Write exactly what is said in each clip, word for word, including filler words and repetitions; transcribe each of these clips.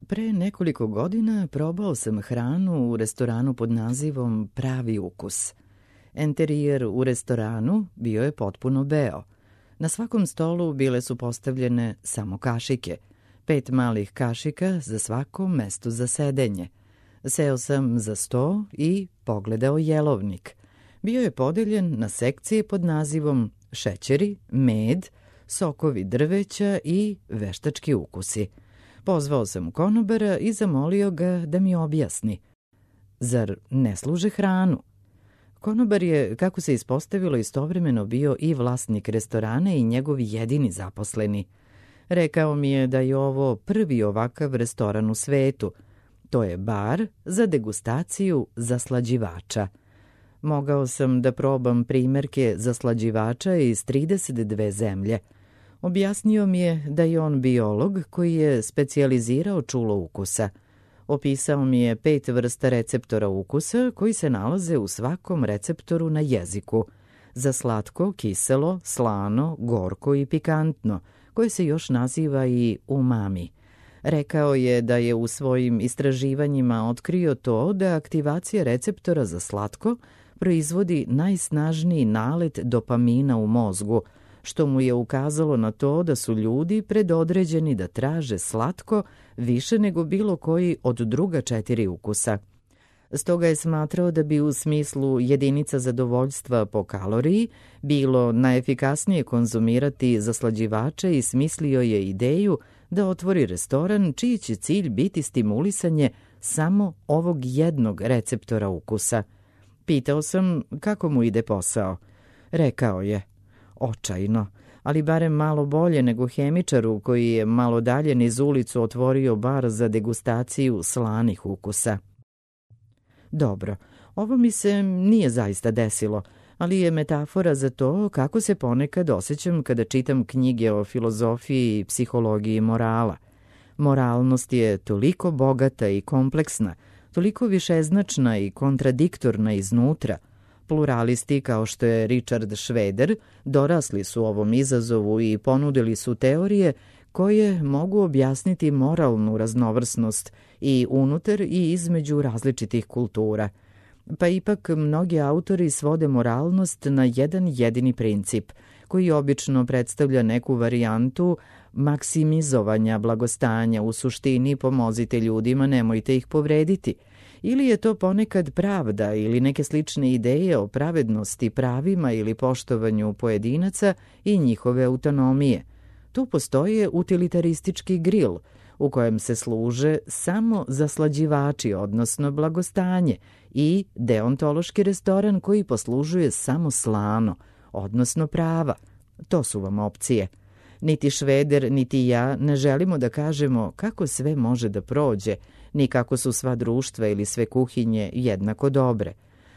Pre nekoliko godina probao sam hranu u restoranu pod nazivom Pravi ukus. Enterijer u restoranu bio je potpuno beo. Na svakom stolu bile su postavljene samo kašike, pet malih kašika za svako mesto za sedenje. Seo sam za sto i pogledao jelovnik. Bio je podeljen na sekcije pod nazivom šećeri, med, sokovi drveća i veštački ukusi. Pozvao sam konobara i zamolio ga da mi objasni. Zar ne služe hranu? Konobar je, kako se ispostavilo, istovremeno bio i vlasnik restorana i njegov jedini zaposleni. Rekao mi je da je ovo prvi ovakav restoran u svetu. To je bar za degustaciju zaslađivača. Mogao sam da probam primerke zaslađivača iz trideset dve zemlje. Objasnio mi je da je on biolog koji je specijalizirao čulo ukusa. Opisao mi je pet vrsta receptora ukusa koji se nalaze u svakom receptoru na jeziku. Za slatko, kiselo, slano, gorko i pikantno, koje se još naziva i umami. Rekao je da je u svojim istraživanjima otkrio to da aktivacija receptora za slatko proizvodi najsnažniji nalet dopamina u mozgu, što mu je ukazalo na to da su ljudi predodređeni da traže slatko više nego bilo koji od druga četiri ukusa. Stoga je smatrao da bi u smislu jedinica zadovoljstva po kaloriji bilo najefikasnije konzumirati zaslađivače i smislio je ideju da otvori restoran čiji će cilj biti stimulisanje samo ovog jednog receptora ukusa. Pitao sam kako mu ide posao. Rekao je: očajno, ali barem malo bolje nego hemičaru koji je malo dalje niz ulicu otvorio bar za degustaciju slanih ukusa. Dobro, ovo mi se nije zaista desilo, ali je metafora za to kako se ponekad osjećam kada čitam knjige o filozofiji i psihologiji morala. Moralnost je toliko bogata i kompleksna, toliko višeznačna i kontradiktorna iznutra. Pluralisti kao što je Richard Schweder dorasli su ovom izazovu i ponudili su teorije koje mogu objasniti moralnu raznovrsnost i unutar i između različitih kultura. Pa ipak mnogi autori svode moralnost na jedan jedini princip, koji obično predstavlja neku varijantu maksimizovanja blagostanja. U suštini pomozite ljudima, nemojte ih povrediti. Ili je to ponekad pravda ili neke slične ideje o pravednosti, pravima ili poštovanju pojedinaca i njihove autonomije. Tu postoje utilitaristički gril, u kojem se služe samo zaslađivači, odnosno blagostanje, i deontološki restoran koji poslužuje samo slano, odnosno prava. To su vam opcije. Niti Šveder, niti ja ne želimo da kažemo kako sve može da prođe, ni kako su sva društva ili sve kuhinje jednako dobre.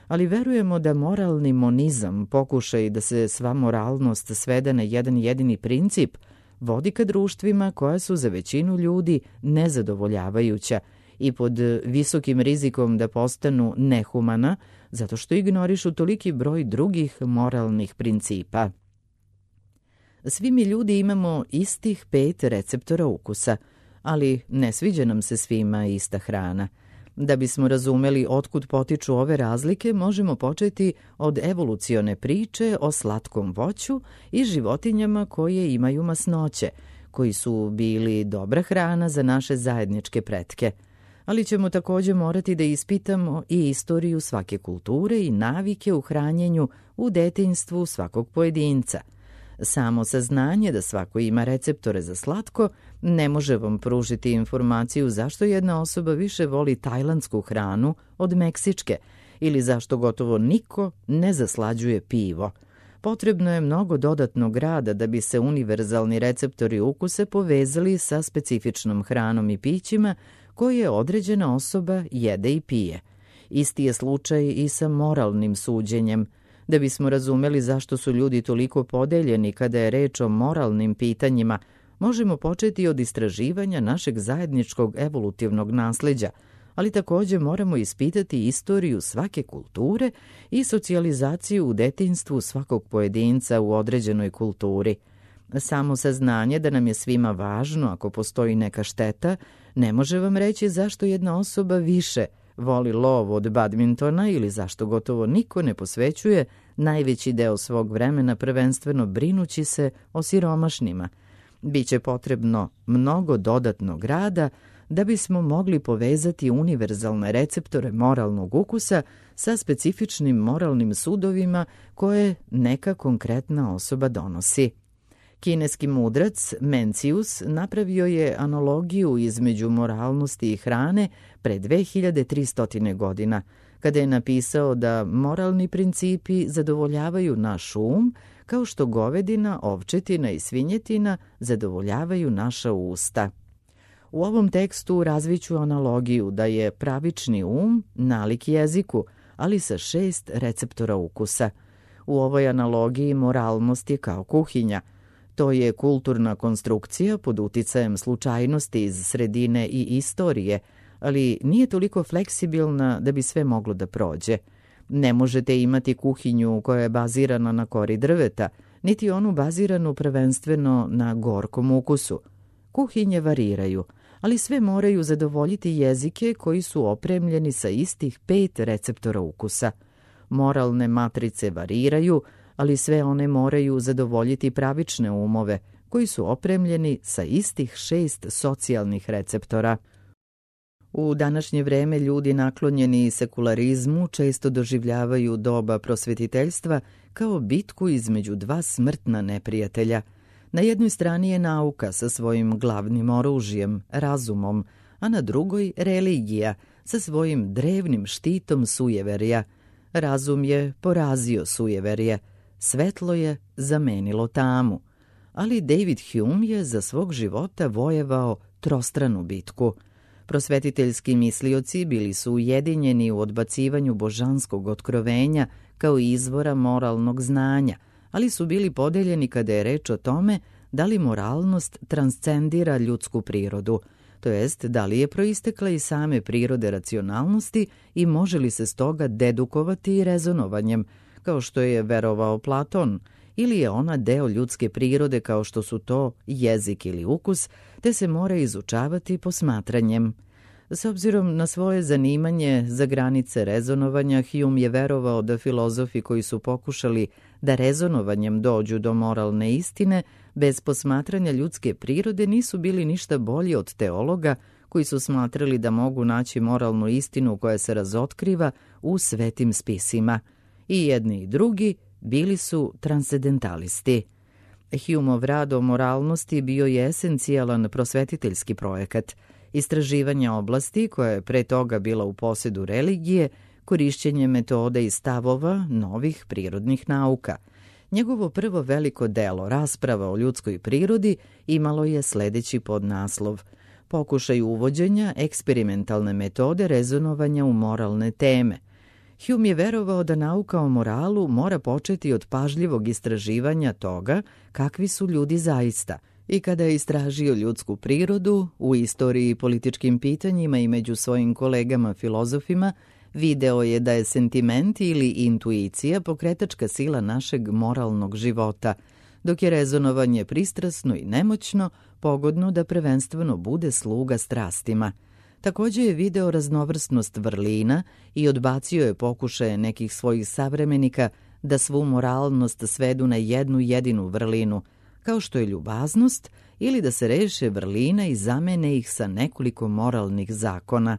Ali verujemo da moralni monizam, pokušaj da se sva moralnost svede na jedan jedini princip, vodi ka društvima koja su za većinu ljudi nezadovoljavajuća i pod visokim rizikom da postanu nehumana, zato što ignorišu toliki broj drugih moralnih principa. Svi mi ljudi imamo istih pet receptora ukusa, ali ne sviđa nam se svima ista hrana. Da bismo razumeli otkud potiču ove razlike, možemo početi od evolucione priče o slatkom voću i životinjama koje imaju masnoće, koji su bili dobra hrana za naše zajedničke pretke. Ali ćemo također morati da ispitamo i istoriju svake kulture i navike u hranjenju u detinjstvu svakog pojedinca. Samo saznanje da svako ima receptore za slatko ne može vam pružiti informaciju zašto jedna osoba više voli tajlandsku hranu od meksičke ili zašto gotovo niko ne zaslađuje pivo. Potrebno je mnogo dodatnog rada da bi se univerzalni receptori ukusa povezali sa specifičnom hranom i pićima koje određena osoba jede i pije. Isti je slučaj i sa moralnim suđenjem. Da bismo razumeli zašto su ljudi toliko podeljeni kada je reč o moralnim pitanjima, možemo početi od istraživanja našeg zajedničkog evolutivnog nasleđa, ali također moramo ispitati istoriju svake kulture i socijalizaciju u detinjstvu svakog pojedinca u određenoj kulturi. Samo saznanje da nam je svima važno ako postoji neka šteta ne može vam reći zašto jedna osoba više voli lov od badmintona ili zašto gotovo niko ne posvećuje najveći deo svog vremena prvenstveno brinući se o siromašnima. Biće potrebno mnogo dodatnog rada da bismo mogli povezati univerzalne receptore moralnog ukusa sa specifičnim moralnim sudovima koje neka konkretna osoba donosi. Kineski mudrac Mencius napravio je analogiju između moralnosti i hrane pre dve hiljade tristo godina, kada je napisao da moralni principi zadovoljavaju naš um, kao što govedina, ovčetina i svinjetina zadovoljavaju naša usta. U ovom tekstu razviću analogiju da je pravični um nalik jeziku, ali sa šest receptora ukusa. U ovoj analogiji moralnost je kao kuhinja. To je kulturna konstrukcija pod uticajem slučajnosti iz sredine i istorije, ali nije toliko fleksibilna da bi sve moglo da prođe. Ne možete imati kuhinju koja je bazirana na kori drveta, niti onu baziranu prvenstveno na gorkom ukusu. Kuhinje variraju, ali sve moraju zadovoljiti jezike koji su opremljeni sa istih pet receptora ukusa. Moralne matrice variraju, ali sve one moraju zadovoljiti pravične umove koji su opremljeni sa istih šest socijalnih receptora. U današnje vreme ljudi naklonjeni sekularizmu često doživljavaju doba prosvetiteljstva kao bitku između dva smrtna neprijatelja. Na jednoj strani je nauka sa svojim glavnim oružjem, razumom, a na drugoj religija sa svojim drevnim štitom sujeverja. Razum je porazio sujeverje, svetlo je zamenilo tamu. Ali David Hume je za svog života vojevao trostranu bitku. Prosvetiteljski mislioci bili su ujedinjeni u odbacivanju božanskog otkrovenja kao izvora moralnog znanja, ali su bili podeljeni kada je reč o tome da li moralnost transcendira ljudsku prirodu, to jest da li je proistekla iz same prirode racionalnosti i može li se stoga dedukovati i rezonovanjem, kao što je verovao Platon, ili je ona deo ljudske prirode kao što su to jezik ili ukus, te se mora izučavati posmatranjem. S obzirom na svoje zanimanje za granice rezonovanja, Hume je verovao da filozofi koji su pokušali da rezonovanjem dođu do moralne istine, bez posmatranja ljudske prirode nisu bili ništa bolji od teologa koji su smatrali da mogu naći moralnu istinu koja se razotkriva u svetim spisima. I jedni i drugi bili su transcendentalisti. Humeov rad o moralnosti bio je esencijalan prosvetiteljski projekat, istraživanje oblasti koja je pre toga bila u posedu religije, korišćenje metoda i stavova novih prirodnih nauka. Njegovo prvo veliko delo, rasprava o ljudskoj prirodi, imalo je sledeći podnaslov: Pokušaj uvođenja eksperimentalne metode rezonovanja u moralne teme. Hume je verovao da nauka o moralu mora početi od pažljivog istraživanja toga kakvi su ljudi zaista, i kada je istražio ljudsku prirodu u istoriji i političkim pitanjima i među svojim kolegama filozofima, video je da je sentiment ili intuicija pokretačka sila našeg moralnog života, dok je rezonovanje pristrasno i nemoćno, pogodno da prvenstveno bude sluga strastima. Također je video raznovrsnost vrlina i odbacio je pokušaje nekih svojih savremenika da svu moralnost svedu na jednu jedinu vrlinu, kao što je ljubaznost, ili da se reše vrlina i zamene ih sa nekoliko moralnih zakona.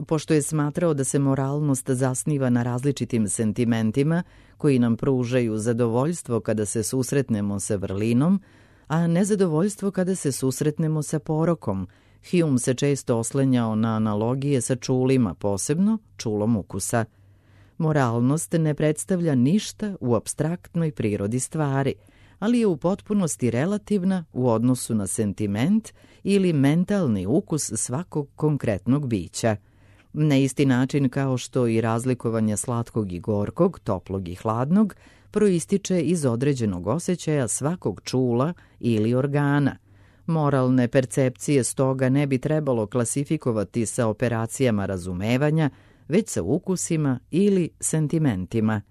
Pošto je smatrao da se moralnost zasniva na različitim sentimentima koji nam pružaju zadovoljstvo kada se susretnemo sa vrlinom, a nezadovoljstvo kada se susretnemo sa porokom, Hume se često oslanjao na analogije sa čulima, posebno čulom ukusa. Moralnost ne predstavlja ništa u apstraktnoj prirodi stvari, ali je u potpunosti relativna u odnosu na sentiment ili mentalni ukus svakog konkretnog bića. Na isti način kao što i razlikovanje slatkog i gorkog, toplog i hladnog, proističe iz određenog osjećaja svakog čula ili organa. Moralne percepcije stoga ne bi trebalo klasifikovati sa operacijama razumevanja, već sa ukusima ili sentimentima.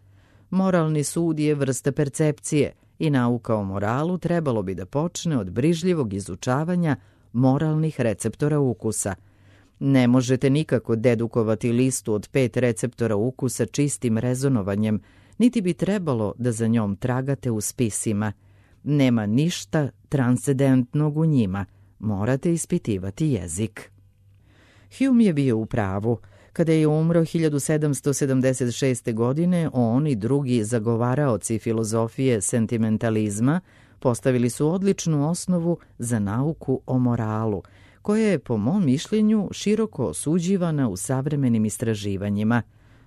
Moralni sud je vrsta percepcije i nauka o moralu trebalo bi da počne od brižljivog izučavanja moralnih receptora ukusa. Ne možete nikako dedukovati listu od pet receptora ukusa čistim rezonovanjem, niti bi trebalo da za njom tragate u spisima. Nema ništa transcendentnog u njima, morate ispitivati jezik. Hume je bio u pravu. Kada je umro hiljadu sedamsto sedamdeset šeste. godine, on i drugi zagovaraoci filozofije sentimentalizma postavili su odličnu osnovu za nauku o moralu, koja je, po mom mišljenju, široko osuđivana u savremenim istraživanjima.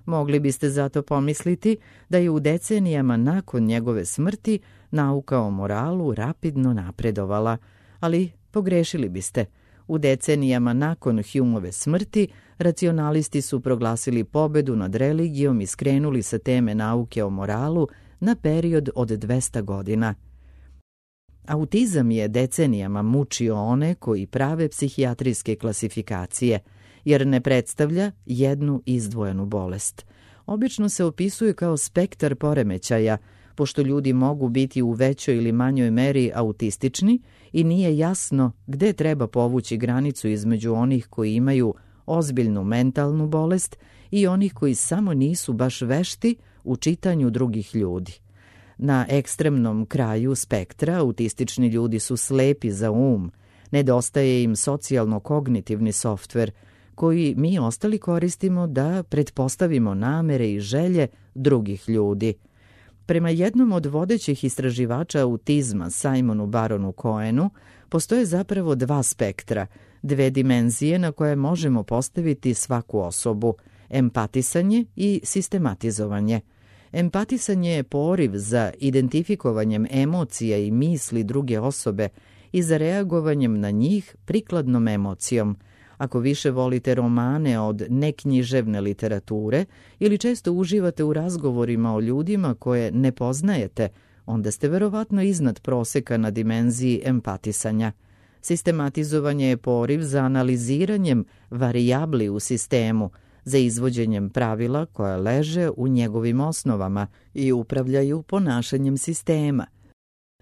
Mogli biste zato pomisliti da je u decenijama nakon njegove smrti nauka o moralu rapidno napredovala, ali pogrešili biste. U decenijama nakon Humeove smrti racionalisti su proglasili pobedu nad religijom i skrenuli sa teme nauke o moralu na period od dvesta godina. Autizam je decenijama mučio one koji prave psihijatrijske klasifikacije, jer ne predstavlja jednu izdvojenu bolest. Obično se opisuje kao spektar poremećaja, pošto ljudi mogu biti u većoj ili manjoj meri autistični i nije jasno gde treba povući granicu između onih koji imaju ozbiljnu mentalnu bolest i onih koji samo nisu baš vešti u čitanju drugih ljudi. Na ekstremnom kraju spektra autistični ljudi su slepi za um, nedostaje im socijalno-kognitivni softver, koji mi ostali koristimo da pretpostavimo namere i želje drugih ljudi. Prema jednom od vodećih istraživača autizma, Simonu Baronu Cohenu, postoje zapravo dva spektra, dve dimenzije na koje možemo postaviti svaku osobu, empatisanje i sistematizovanje. Empatisanje je poriv za identifikovanjem emocija i misli druge osobe i za reagovanjem na njih prikladnom emocijom. Ako više volite romane od neknjiževne literature ili često uživate u razgovorima o ljudima koje ne poznajete, onda ste verovatno iznad proseka na dimenziji empatisanja. Sistematizovanje je poriv za analiziranjem varijabli u sistemu, za izvođenjem pravila koja leže u njegovim osnovama i upravljaju ponašanjem sistema.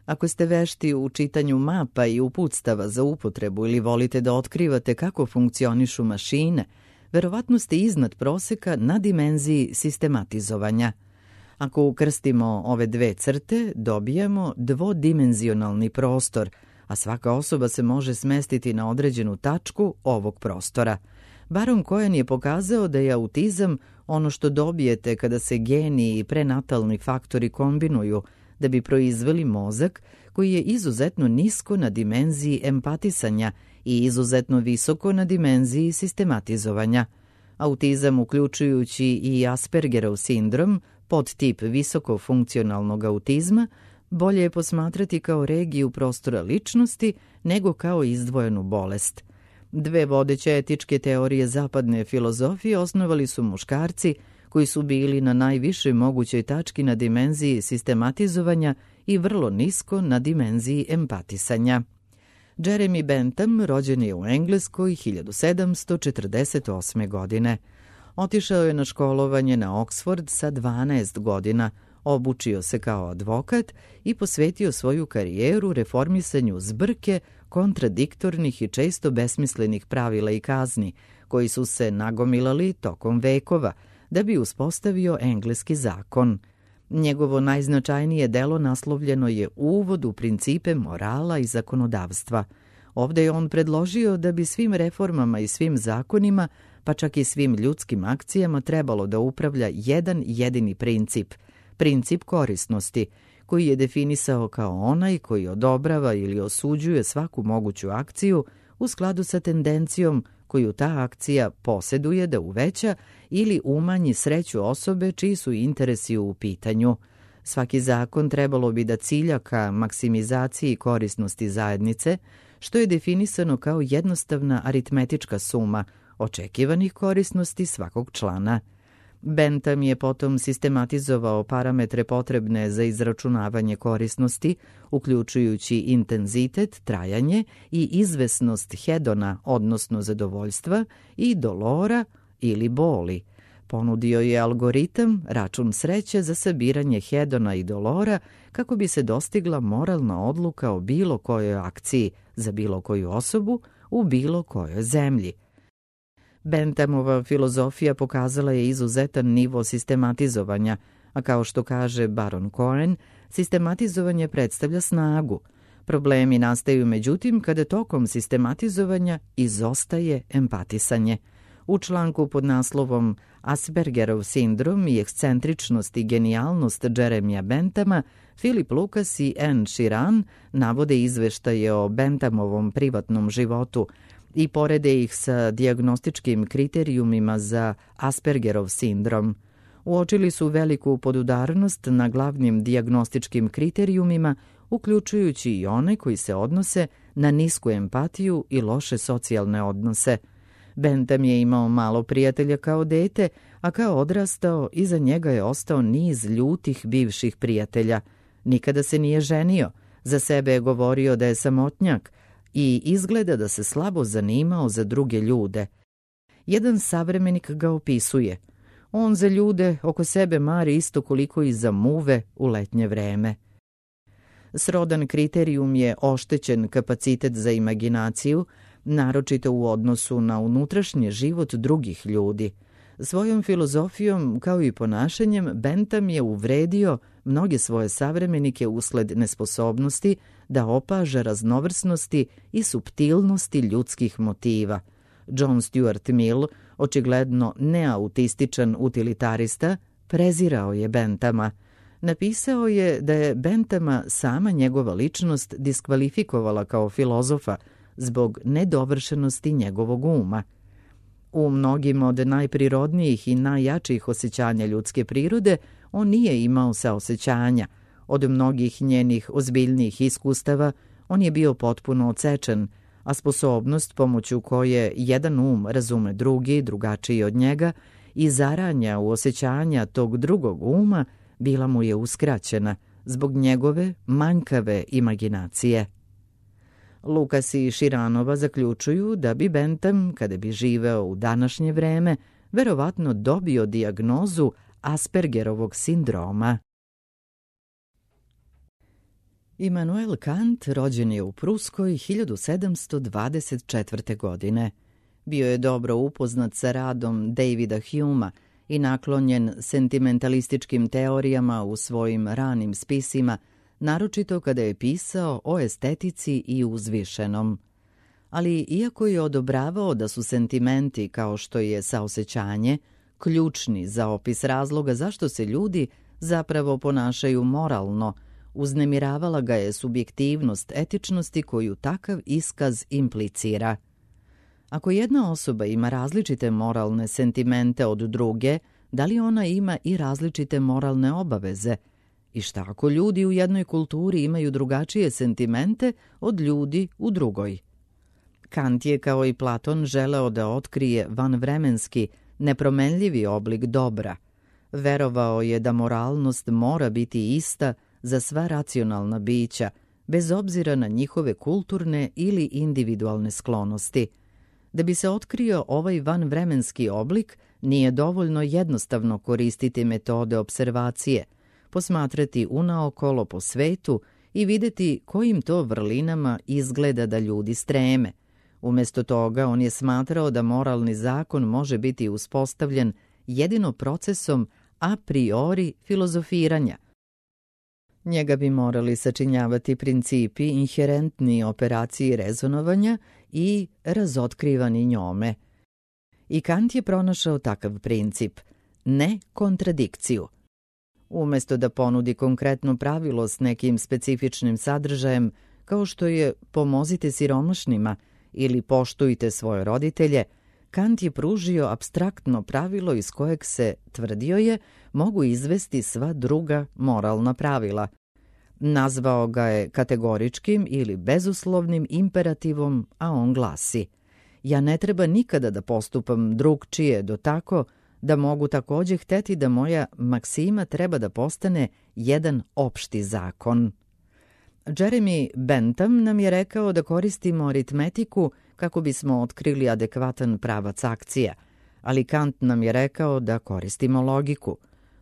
Ako ste vešti u čitanju mapa i uputstava za upotrebu ili volite da otkrivate kako funkcionišu mašine, verovatno ste iznad proseka na dimenziji sistematizovanja. Ako ukrstimo ove dve crte, dobijamo dvodimenzionalni prostor, a svaka osoba se može smestiti na određenu tačku ovog prostora. Baron Cohen je pokazao da je autizam ono što dobijete kada se geni i prenatalni faktori kombinuju da bi proizveli mozak koji je izuzetno nisko na dimenziji empatisanja i izuzetno visoko na dimenziji sistematizovanja. Autizam, uključujući i Aspergerov sindrom, podtip visokofunkcionalnog autizma, bolje je posmatrati kao regiju prostora ličnosti nego kao izdvojenu bolest. Dve vodeće etičke teorije zapadne filozofije osnovali su muškarci koji su bili na najvišoj mogućoj tački na dimenziji sistematizovanja i vrlo nisko na dimenziji empatisanja. Jeremy Bentham rođen je u Engleskoj hiljadu sedamsto četrdeset osme. godine. Otišao je na školovanje na Oxford sa dvanaest godina, obučio se kao advokat i posvetio svoju karijeru reformisanju zbrke kontradiktornih i često besmislenih pravila i kazni, koji su se nagomilali tokom vekova, da bi uspostavio engleski zakon. Njegovo najznačajnije delo naslovljeno je Uvod u principe morala i zakonodavstva. Ovde je on predložio da bi svim reformama i svim zakonima, pa čak i svim ljudskim akcijama trebalo da upravlja jedan jedini princip, princip korisnosti, koji je definisao kao onaj koji odobrava ili osuđuje svaku moguću akciju u skladu sa tendencijom koju ta akcija poseduje da uveća ili umanji sreću osobe čiji su interesi u pitanju. Svaki zakon trebalo bi da cilja ka maksimizaciji korisnosti zajednice, što je definisano kao jednostavna aritmetička suma očekivanih korisnosti svakog člana. Bentham je potom sistematizovao parametre potrebne za izračunavanje korisnosti, uključujući intenzitet, trajanje i izvesnost hedona, odnosno zadovoljstva, i dolora ili boli. Ponudio je algoritam, račun sreće za sabiranje hedona i dolora kako bi se dostigla moralna odluka o bilo kojoj akciji za bilo koju osobu u bilo kojoj zemlji. Benthamova filozofija pokazala je izuzetan nivo sistematizovanja, a kao što kaže Baron Cohen, sistematizovanje predstavlja snagu. Problemi nastaju međutim kada tokom sistematizovanja izostaje empatisanje. U članku pod naslovom Aspergerov sindrom i ekscentričnost i genijalnost Jeremija Benthama, Philip Lucas i Anne Sheeran navode izveštaje o Benthamovom privatnom životu i porede ih sa dijagnostičkim kriterijumima za Aspergerov sindrom. Uočili su veliku podudarnost na glavnim dijagnostičkim kriterijumima, uključujući i one koji se odnose na nisku empatiju i loše socijalne odnose. Bentham je imao malo prijatelja kao dete, a kao odrastao iza njega je ostao niz ljutih bivših prijatelja. Nikada se nije ženio, za sebe je govorio da je samotnjak i izgleda da se slabo zanimao za druge ljude. Jedan savremenik ga opisuje. On za ljude oko sebe mari isto koliko i za muve u letnje vreme. Srodan kriterijum je oštećen kapacitet za imaginaciju, naročito u odnosu na unutrašnji život drugih ljudi. Svojom filozofijom kao i ponašanjem Bentham je uvredio mnoge svoje savremenike usled nesposobnosti da opaža raznovrsnosti i suptilnosti ljudskih motiva. John Stuart Mill, očigledno neautističan utilitarista, prezirao je Benthama. Napisao je da je Benthama sama njegova ličnost diskvalifikovala kao filozofa zbog nedovršenosti njegovog uma. U mnogim od najprirodnijih i najjačih osjećanja ljudske prirode on nije imao saosećanja. Od mnogih njenih ozbiljnijih iskustava on je bio potpuno odsečen, a sposobnost pomoću koje jedan um razume drugi, drugačiji od njega, i zaranja u osjećanja tog drugog uma bila mu je uskraćena zbog njegove manjkave imaginacije. Lucas i Sheeranova zaključuju da bi Bentham, kada bi živeo u današnje vreme, verovatno dobio dijagnozu Aspergerovog sindroma. Immanuel Kant rođen je u Pruskoj hiljadu sedamsto dvadeset četvrte. godine. Bio je dobro upoznat sa radom Davida Humea i naklonjen sentimentalističkim teorijama u svojim ranim spisima, naročito kada je pisao o estetici i uzvišenom. Ali iako je odobravao da su sentimenti, kao što je saosećanje, ključni za opis razloga zašto se ljudi zapravo ponašaju moralno, uznemiravala ga je subjektivnost etičnosti koju takav iskaz implicira. Ako jedna osoba ima različite moralne sentimente od druge, da li ona ima i različite moralne obaveze? I šta ako ljudi u jednoj kulturi imaju drugačije sentimente od ljudi u drugoj? Kant je, kao i Platon, želeo da otkrije vanvremenski, nepromenljivi oblik dobra. Verovao je da moralnost mora biti ista za sva racionalna bića, bez obzira na njihove kulturne ili individualne sklonosti. Da bi se otkrio ovaj vanvremenski oblik, nije dovoljno jednostavno koristiti metode observacije, posmatrati unaokolo po svetu i videti kojim to vrlinama izgleda da ljudi streme. Umjesto toga, on je smatrao da moralni zakon može biti uspostavljen jedino procesom a priori filozofiranja. Njega bi morali sačinjavati principi inherentni operaciji rezonovanja i razotkrivani njome. I Kant je pronašao takav princip, ne kontradikciju. Umjesto da ponudi konkretno pravilo s nekim specifičnim sadržajem, kao što je pomozite siromašnima ili poštujte svoje roditelje, Kant je pružio apstraktno pravilo iz kojeg se, tvrdio je, mogu izvesti sva druga moralna pravila. Nazvao ga je kategoričkim ili bezuslovnim imperativom, a on glasi: ja ne treba nikada da postupam drugčije do tako da mogu također hteti da moja maksima treba da postane jedan opšti zakon. Jeremy Bentham nam je rekao da koristimo aritmetiku kako bismo otkrili adekvatan pravac akcija, ali Kant nam je rekao da koristimo logiku.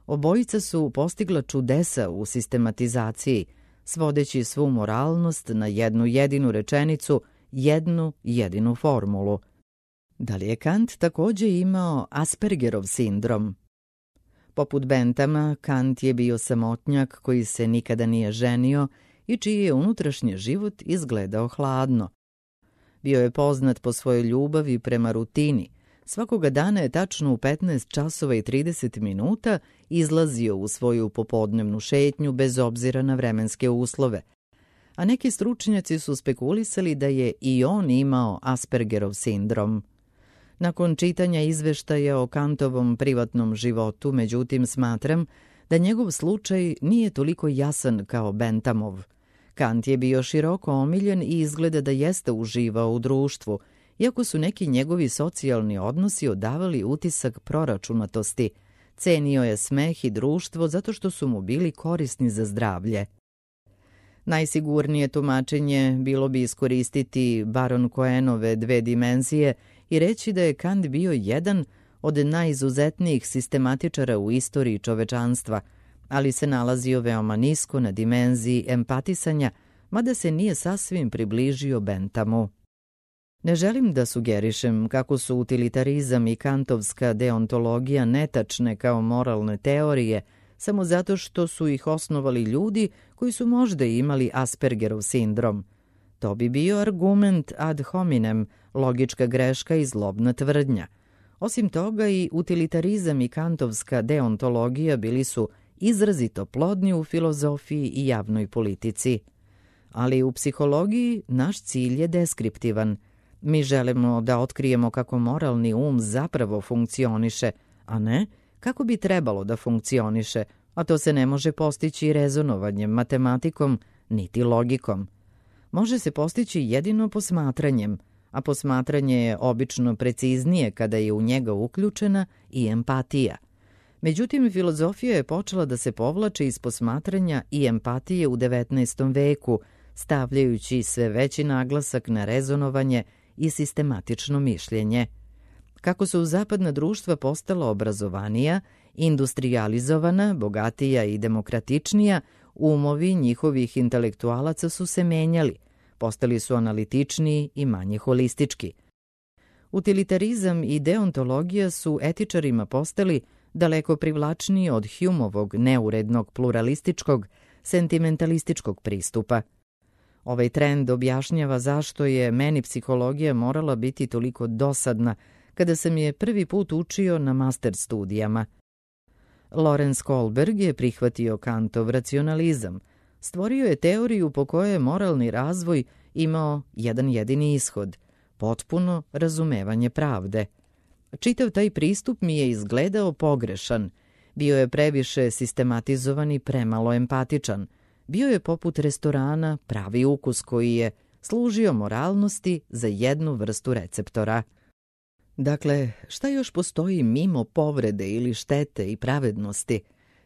Obojica su postigla čudesa u sistematizaciji, svodeći svu moralnost na jednu jedinu rečenicu, jednu jedinu formulu. Da li je Kant takođe imao Aspergerov sindrom? Poput Benthama, Kant je bio samotnjak koji se nikada nije ženio i čiji je unutrašnji život izgledao hladno. Bio je poznat po svojoj ljubavi prema rutini. Svakoga dana je tačno u petnaest časova i trideset minuta izlazio u svoju popodnevnu šetnju bez obzira na vremenske uslove. A neki stručnjaci su spekulisali da je i on imao Aspergerov sindrom. Nakon čitanja izveštaja o Kantovom privatnom životu, međutim, smatram da njegov slučaj nije toliko jasan kao Benthamov. Kant je bio široko omiljen i izgleda da jeste uživao u društvu, iako su neki njegovi socijalni odnosi odavali utisak proračunatosti. Cenio je smeh i društvo zato što su mu bili korisni za zdravlje. Najsigurnije tumačenje bilo bi iskoristiti Baron Cohenove dve dimenzije i reći da je Kant bio jedan od najizuzetnijih sistematičara u istoriji čovečanstva, ali se nalazio veoma nisko na dimenziji empatisanja, mada se nije sasvim približio Benthamu. Ne želim da sugerišem kako su utilitarizam i kantovska deontologija netačne kao moralne teorije, samo zato što su ih osnovali ljudi koji su možda imali Aspergerov sindrom. To bi bio argument ad hominem, logička greška i zlobna tvrdnja. Osim toga, i utilitarizam i kantovska deontologija bili su izrazito plodni u filozofiji i javnoj politici. Ali u psihologiji naš cilj je deskriptivan. Mi želimo da otkrijemo kako moralni um zapravo funkcioniše, a ne kako bi trebalo da funkcioniše, a to se ne može postići rezonovanjem, matematikom, niti logikom. Može se postići jedino posmatranjem, a posmatranje je obično preciznije kada je u njega uključena i empatija. Međutim, filozofija je počela da se povlači iz posmatranja i empatije u devetnaestom veku, stavljajući sve veći naglasak na rezonovanje i sistematično mišljenje. Kako su zapadna društva postala obrazovanija, industrijalizovana, bogatija i demokratičnija, umovi njihovih intelektualaca su se menjali, postali su analitičniji i manje holistički. Utilitarizam i deontologija su etičarima postali daleko privlačniji od Humeovog neurednog pluralističkog, sentimentalističkog pristupa. Ovaj trend objašnjava zašto je meni psihologija morala biti toliko dosadna kada sam je prvi put učio na master studijama. Lorenz Kohlberg je prihvatio Kantov racionalizam. Stvorio je teoriju po kojoj je moralni razvoj imao jedan jedini ishod – potpuno razumevanje pravde. Čitav taj pristup mi je izgledao pogrešan. Bio je previše sistematizovan i premalo empatičan. Bio je poput restorana pravi ukus koji je služio moralnosti za jednu vrstu receptora. Dakle, šta još postoji mimo povrede ili štete i pravednosti?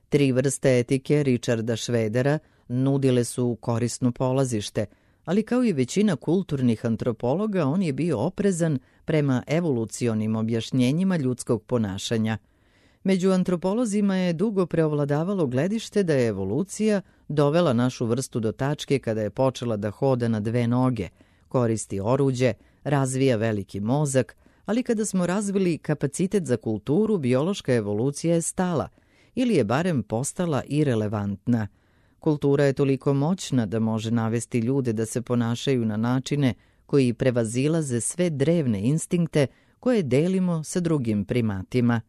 Tri vrste etike Richarda Schroedera nudile su korisno polazište, ali kao i većina kulturnih antropologa on je bio oprezan prema evolucionim objašnjenjima ljudskog ponašanja. Među antropolozima je dugo preovladavalo gledište da je evolucija dovela našu vrstu do tačke kada je počela da hoda na dve noge, koristi oruđe, razvija veliki mozak, ali kada smo razvili kapacitet za kulturu, biološka evolucija je stala ili je barem postala irelevantna. Kultura je toliko moćna da može navesti ljude da se ponašaju na načine koji prevazilaze sve drevne instinkte koje delimo sa drugim primatima.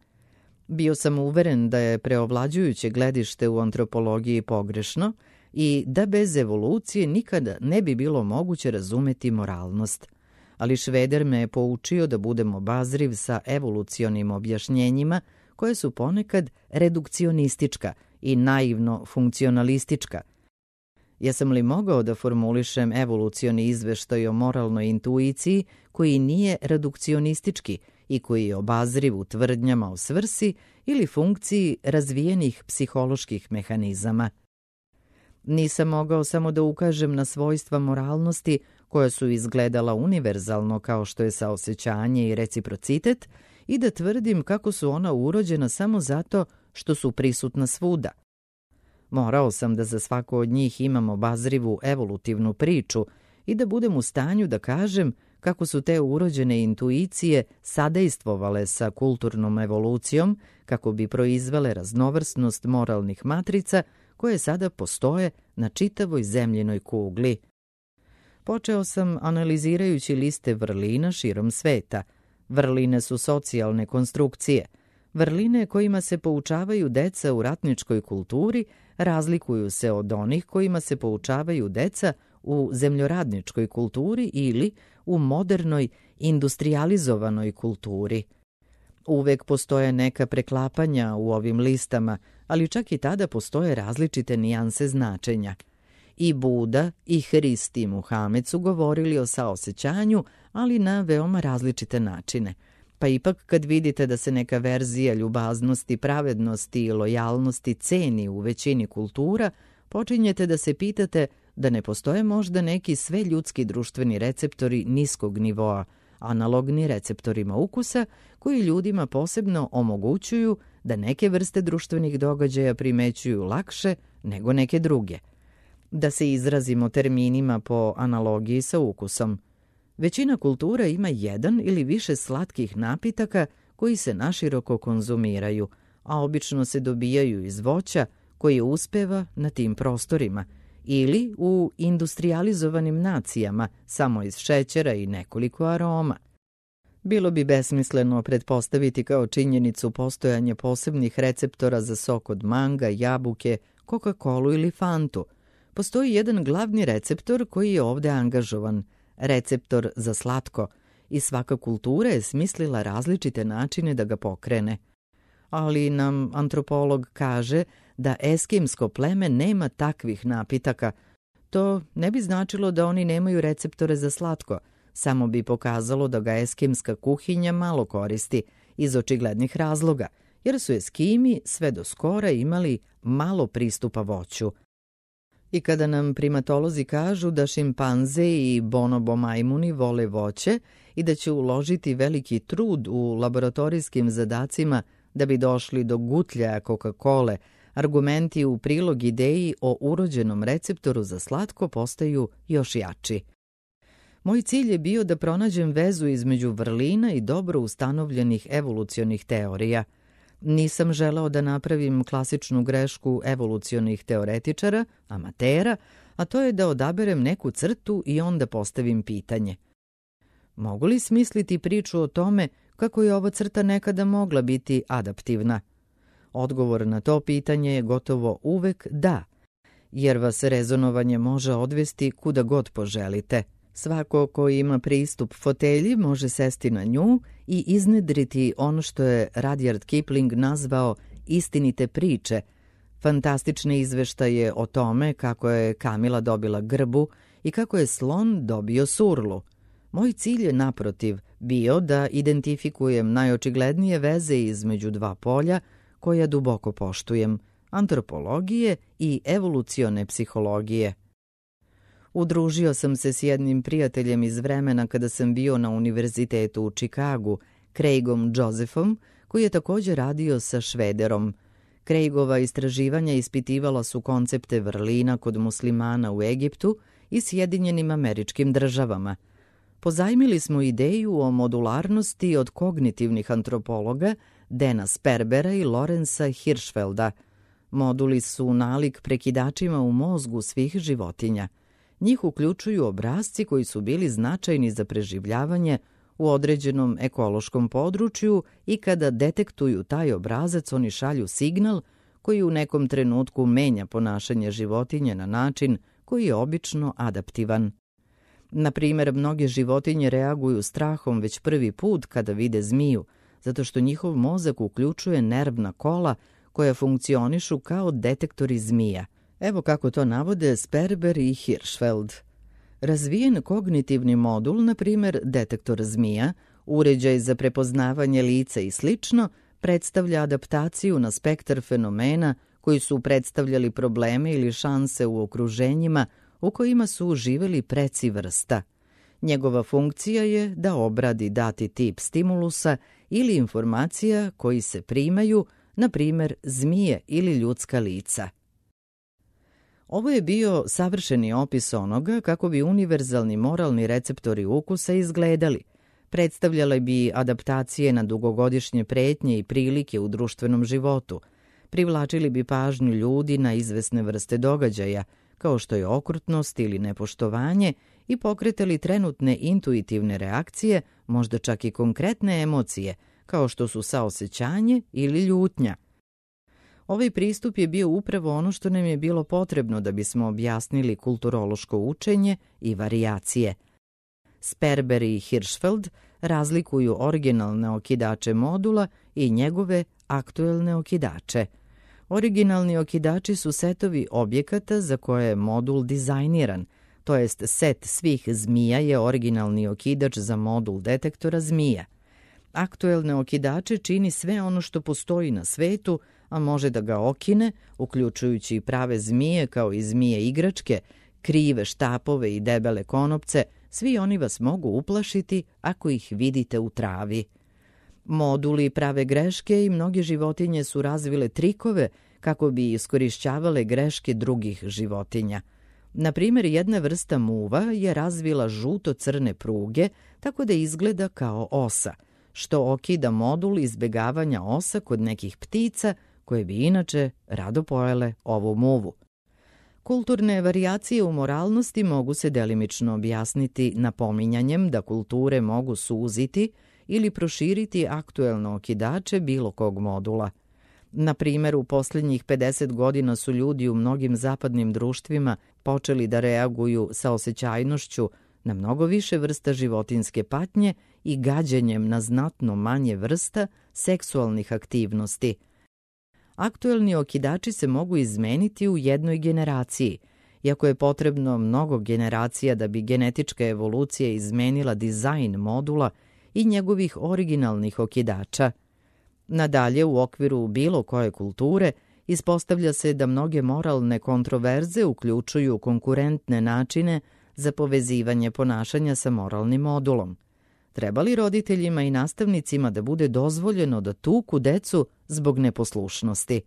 Bio sam uveren da je preovlađujuće gledište u antropologiji pogrešno i da bez evolucije nikada ne bi bilo moguće razumeti moralnost. Ali Schroeder me je poučio da budem obazriv sa evolucionim objašnjenjima koje su ponekad redukcionistička i naivno funkcionalistička. Jesam li mogao da formulišem evolucioni izveštaj o moralnoj intuiciji koji nije redukcionistički i koji je obazriv u tvrdnjama o svrsi ili funkciji razvijenih psiholoških mehanizama? Nisam mogao samo da ukažem na svojstva moralnosti koja su izgledala univerzalno kao što je saosećanje i reciprocitet i da tvrdim kako su ona urođena samo zato što su prisutna svuda. Morao sam da za svako od njih imam obazrivu evolutivnu priču i da budem u stanju da kažem kako su te urođene intuicije sadejstvovale sa kulturnom evolucijom kako bi proizvele raznovrsnost moralnih matrica koje sada postoje na čitavoj zemljinoj kugli. Počeo sam analizirajući liste vrlina širom sveta. Vrline su socijalne konstrukcije. Vrline kojima se poučavaju deca u ratničkoj kulturi razlikuju se od onih kojima se poučavaju deca u zemljoradničkoj kulturi ili u modernoj industrijalizovanoj kulturi. Uvek postoje neka preklapanja u ovim listama, ali čak i tada postoje različite nijanse značenja. I Buda i Hrist i Muhamed su govorili o saosećanju, ali na veoma različite načine. Pa ipak kad vidite da se neka verzija ljubaznosti, pravednosti i lojalnosti ceni u većini kultura, počinjete da se pitate da ne postoje možda neki sve ljudski društveni receptori niskog nivoa, analogni receptorima ukusa, koji ljudima posebno omogućuju da neke vrste društvenih događaja primećuju lakše nego neke druge. Da se izrazimo terminima po analogiji sa ukusom. Većina kultura ima jedan ili više slatkih napitaka koji se naširoko konzumiraju, a obično se dobijaju iz voća koje uspeva na tim prostorima, ili u industrijalizovanim nacijama samo iz šećera i nekoliko aroma. Bilo bi besmisleno pretpostaviti kao činjenicu postojanje posebnih receptora za sok od manga, jabuke, Coca-Colu ili Fantu. Postoji jedan glavni receptor koji je ovde angažovan, receptor za slatko, i svaka kultura je smislila različite načine da ga pokrene. Ali nam antropolog kaže da eskimsko pleme nema takvih napitaka. To ne bi značilo da oni nemaju receptore za slatko, samo bi pokazalo da ga eskimska kuhinja malo koristi, iz očiglednih razloga, jer su Eskimi sve do skora imali malo pristupa voću. I kada nam primatolozi kažu da šimpanze i bonobo majmuni vole voće i da će uložiti veliki trud u laboratorijskim zadacima da bi došli do gutljaja Coca-Cole, argumenti u prilog ideji o urođenom receptoru za slatko postaju još jači. Moj cilj je bio da pronađem vezu između vrlina i dobro ustanovljenih evolucionih teorija. Nisam želeo da napravim klasičnu grešku evolucionih teoretičara, amatera, a to je da odaberem neku crtu i onda postavim pitanje. Mogu li smisliti priču o tome kako je ova crta nekada mogla biti adaptivna? Odgovor na to pitanje je gotovo uvek da, jer vas rezonovanje može odvesti kuda god poželite. Svako ko ima pristup fotelji može sesti na nju i iznedriti ono što je Rudyard Kipling nazvao istinite priče, fantastične izveštaje o tome kako je Kamila dobila grbu i kako je slon dobio surlu. Moj cilj je naprotiv bio da identifikujem najočiglednije veze između dva polja koja duboko poštujem, antropologije i evolucione psihologije. Udružio sam se s jednim prijateljem iz vremena kada sam bio na univerzitetu u Čikagu, Craigom Josephom, koji je također radio sa Švederom. Craigova istraživanja ispitivala su koncepte vrlina kod muslimana u Egiptu i Sjedinjenim Američkim Državama. Pozajmili smo ideju o modularnosti od kognitivnih antropologa Dana Sperbera i Lorenza Hirschfelda. Moduli su nalik prekidačima u mozgu svih životinja. Njih uključuju obrasci koji su bili značajni za preživljavanje u određenom ekološkom području i kada detektuju taj obrazac oni šalju signal koji u nekom trenutku menja ponašanje životinje na način koji je obično adaptivan. Na primjer, mnoge životinje reaguju strahom već prvi put kada vide zmiju, zato što njihov mozak uključuje nervna kola koja funkcionišu kao detektori zmija. Evo kako to navode Sperber i Hirschfeld. Razvijen kognitivni modul, na primjer detektor zmija, uređaj za prepoznavanje lica i slično, predstavlja adaptaciju na spektar fenomena koji su predstavljali probleme ili šanse u okruženjima u kojima su živeli preci vrsta. Njegova funkcija je da obradi dati tip stimulusa ili informacija koji se primaju, na primjer zmije ili ljudska lica. Ovo je bio savršeni opis onoga kako bi univerzalni moralni receptori ukusa izgledali. Predstavljale bi adaptacije na dugogodišnje pretnje i prilike u društvenom životu. Privlačili bi pažnju ljudi na izvesne vrste događaja, kao što je okrutnost ili nepoštovanje, i pokretali trenutne intuitivne reakcije, možda čak i konkretne emocije, kao što su saosećanje ili ljutnja. Ovaj pristup je bio upravo ono što nam je bilo potrebno da bismo objasnili kulturološko učenje i varijacije. Sperber i Hirschfeld razlikuju originalne okidače modula i njegove aktuelne okidače. Originalni okidači su setovi objekata za koje je modul dizajniran, to jest set svih zmija je originalni okidač za modul detektora zmija. Aktuelne okidače čini sve ono što postoji na svetu, a može da ga okine, uključujući i prave zmije kao i zmije igračke, krive štapove i debele konopce, svi oni vas mogu uplašiti ako ih vidite u travi. Moduli prave greške i mnoge životinje su razvile trikove kako bi iskorišćavale greške drugih životinja. Na primjer, jedna vrsta muva je razvila žuto-crne pruge tako da izgleda kao osa, što okida modul izbegavanja osa kod nekih ptica koje bi inače rado pojele ovu muvu. Kulturne varijacije u moralnosti mogu se delimično objasniti napominjanjem da kulture mogu suziti ili proširiti aktuelno okidače bilo kog modula. Na primjer, u posljednjih pedeset godina su ljudi u mnogim zapadnim društvima počeli da reaguju sa osjećajnošću na mnogo više vrsta životinjske patnje i gađenjem na znatno manje vrsta seksualnih aktivnosti. Aktuelni okidači se mogu izmeniti u jednoj generaciji, iako je potrebno mnogo generacija da bi genetička evolucija izmenila dizajn modula i njegovih originalnih okidača. Nadalje, u okviru bilo koje kulture, ispostavlja se da mnoge moralne kontroverze uključuju konkurentne načine za povezivanje ponašanja sa moralnim modulom. Treba li roditeljima i nastavnicima da bude dozvoljeno da tuku decu zbog neposlušnosti?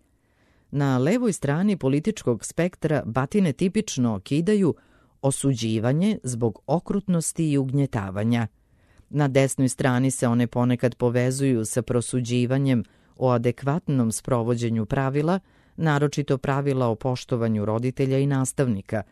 Na levoj strani političkog spektra batine tipično okidaju osuđivanje zbog okrutnosti i ugnjetavanja. Na desnoj strani se one ponekad povezuju sa prosuđivanjem o adekvatnom sprovođenju pravila, naročito pravila o poštovanju roditelja i nastavnika.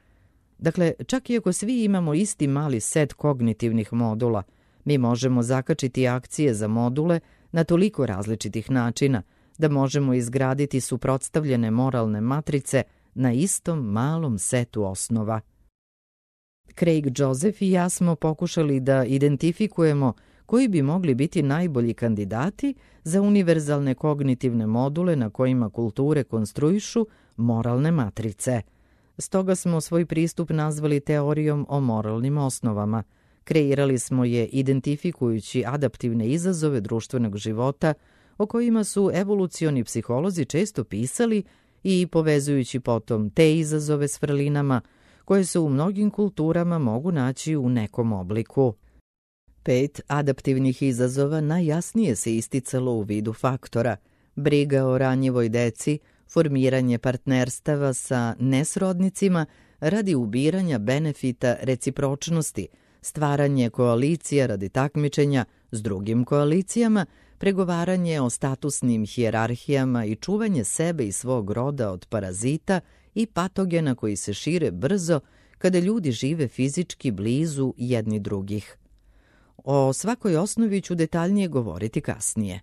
Dakle, čak i ako svi imamo isti mali set kognitivnih modula, mi možemo zakačiti akcije za module na toliko različitih načina da možemo izgraditi suprotstavljene moralne matrice na istom malom setu osnova. Craig Joseph i ja smo pokušali da identifikujemo koji bi mogli biti najbolji kandidati za univerzalne kognitivne module na kojima kulture konstruišu moralne matrice. Stoga smo svoj pristup nazvali teorijom o moralnim osnovama. Kreirali smo je identifikujući adaptivne izazove društvenog života o kojima su evolucioni psiholozi često pisali i povezujući potom te izazove s vrlinama koje se u mnogim kulturama mogu naći u nekom obliku. Pet adaptivnih izazova najjasnije se isticalo u vidu faktora: briga o ranjivoj deci, formiranje partnerstava sa nesrodnicima radi ubiranja benefita recipročnosti, stvaranje koalicija radi takmičenja s drugim koalicijama, pregovaranje o statusnim hijerarhijama i čuvanje sebe i svog roda od parazita i patogena koji se šire brzo kada ljudi žive fizički blizu jedni drugih. O svakoj osnovi ću detaljnije govoriti kasnije.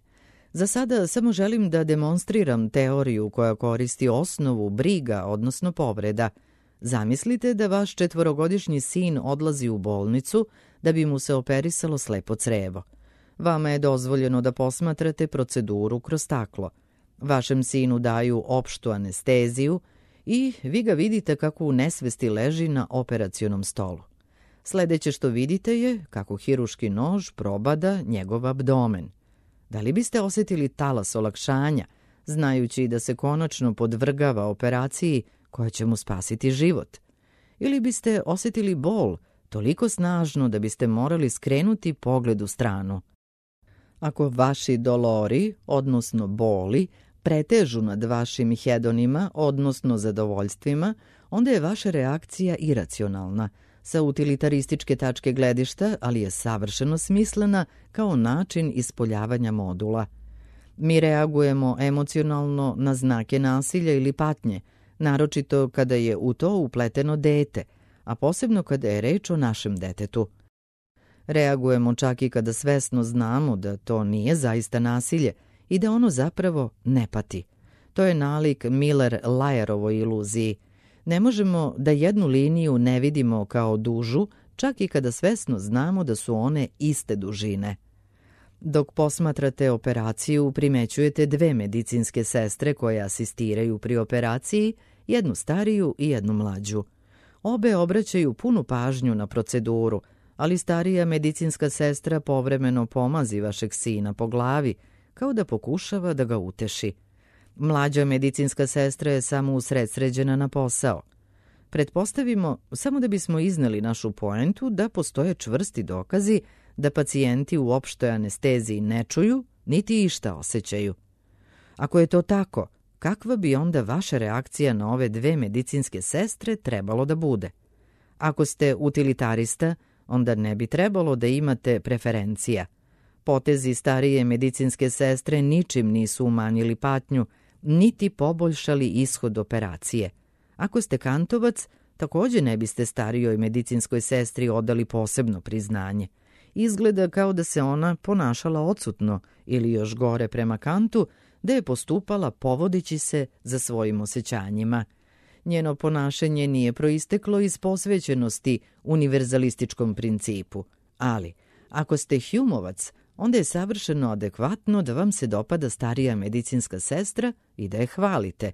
Za sada samo želim da demonstriram teoriju koja koristi osnovu briga, odnosno povreda. Zamislite da vaš četvorogodišnji sin odlazi u bolnicu da bi mu se operisalo slepo crevo. Vama je dozvoljeno da posmatrate proceduru kroz staklo. Vašem sinu daju opštu anesteziju i vi ga vidite kako u nesvesti leži na operacionom stolu. Sledeće što vidite je kako hiruški nož probada njegov abdomen. Da li biste osjetili talas olakšanja, znajući da se konačno podvrgava operaciji koja će mu spasiti život? Ili biste osjetili bol, toliko snažno da biste morali skrenuti pogled u stranu. Ako vaši dolori, odnosno boli, pretežu nad vašim hedonima, odnosno zadovoljstvima, onda je vaša reakcija iracionalna, sa utilitarističke tačke gledišta, ali je savršeno smislena kao način ispoljavanja modula. Mi reagujemo emocionalno na znake nasilja ili patnje, naročito kada je u to upleteno dete, a posebno kada je reč o našem detetu. Reagujemo čak i kada svesno znamo da to nije zaista nasilje i da ono zapravo ne pati. To je nalik Miller-Layerovoj iluziji. Ne možemo da jednu liniju ne vidimo kao dužu, čak i kada svesno znamo da su one iste dužine. Dok posmatrate operaciju, primećujete dve medicinske sestre koje asistiraju pri operaciji, jednu stariju i jednu mlađu. Obe obraćaju punu pažnju na proceduru, ali starija medicinska sestra povremeno pomazi vašeg sina po glavi, kao da pokušava da ga uteši. Mlađa medicinska sestra je samo usredsređena na posao. Pretpostavimo, samo da bismo izneli našu poentu, da postoje čvrsti dokazi da pacijenti u opštoj anesteziji ne čuju, niti išta osjećaju. Ako je to tako, kakva bi onda vaša reakcija na ove dve medicinske sestre trebalo da bude? Ako ste utilitarista, onda ne bi trebalo da imate preferencija. Potezi starije medicinske sestre ničim nisu umanjili patnju, niti poboljšali ishod operacije. Ako ste kantovac, takođe ne biste starijoj medicinskoj sestri odali posebno priznanje. Izgleda kao da se ona ponašala odsutno ili još gore prema Kantu, da je postupala povodeći se za svojim osjećanjima. Njeno ponašanje nije proisteklo iz posvećenosti univerzalističkom principu. Ali, ako ste Humeovac, onda je savršeno adekvatno da vam se dopada starija medicinska sestra i da je hvalite.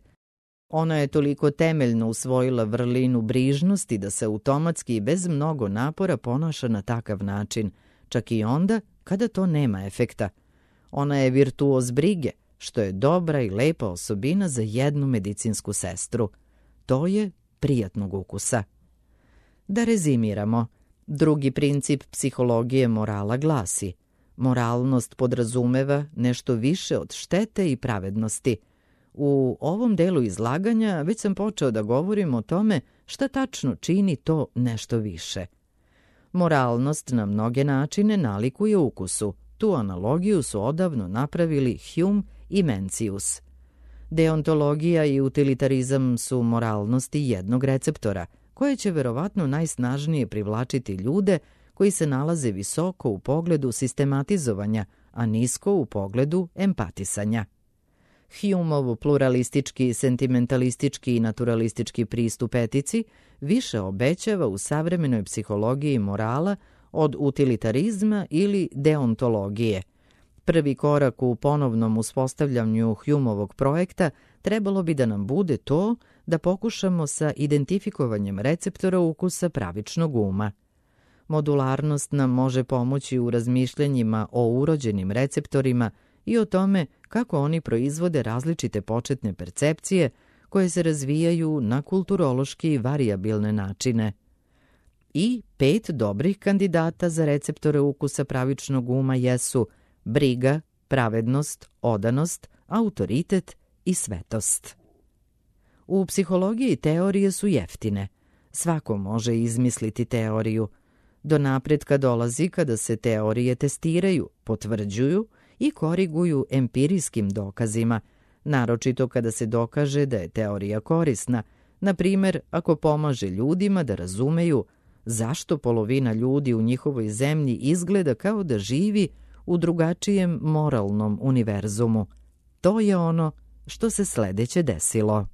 Ona je toliko temeljno usvojila vrlinu brižnosti da se automatski i bez mnogo napora ponaša na takav način, čak i onda kada to nema efekta. Ona je virtuoz brige, što je dobra i lepa osobina za jednu medicinsku sestru. To je prijatnog ukusa. Da rezimiramo, drugi princip psihologije morala glasi: moralnost podrazumeva nešto više od štete i pravednosti. U ovom delu izlaganja već sam počeo da govorim o tome šta tačno čini to nešto više. Moralnost na mnoge načine nalikuje ukusu. Tu analogiju su odavno napravili Hume i Mencius. Deontologija i utilitarizam su moralnosti jednog receptora, koje će verovatno najsnažnije privlačiti ljude koji se nalaze visoko u pogledu sistematizovanja, a nisko u pogledu empatisanja. Humeov pluralistički, sentimentalistički i naturalistički pristup etici više obećava u savremenoj psihologiji morala od utilitarizma ili deontologije. Prvi korak u ponovnom uspostavljanju Humeovog projekta trebalo bi da nam bude to da pokušamo sa identifikovanjem receptora ukusa pravičnog uma. Modularnost nam može pomoći u razmišljanjima o urođenim receptorima i o tome kako oni proizvode različite početne percepcije koje se razvijaju na kulturološki varijabilne načine. I pet dobrih kandidata za receptore ukusa pravičnog uma jesu briga, pravednost, odanost, autoritet i svetost. U psihologiji teorije su jeftine. Svako može izmisliti teoriju. Do napretka dolazi kada se teorije testiraju, potvrđuju i koriguju empirijskim dokazima, naročito kada se dokaže da je teorija korisna, na primjer ako pomaže ljudima da razumeju zašto polovina ljudi u njihovoj zemlji izgleda kao da živi u drugačijem moralnom univerzumu. To je ono što se sledeće desilo.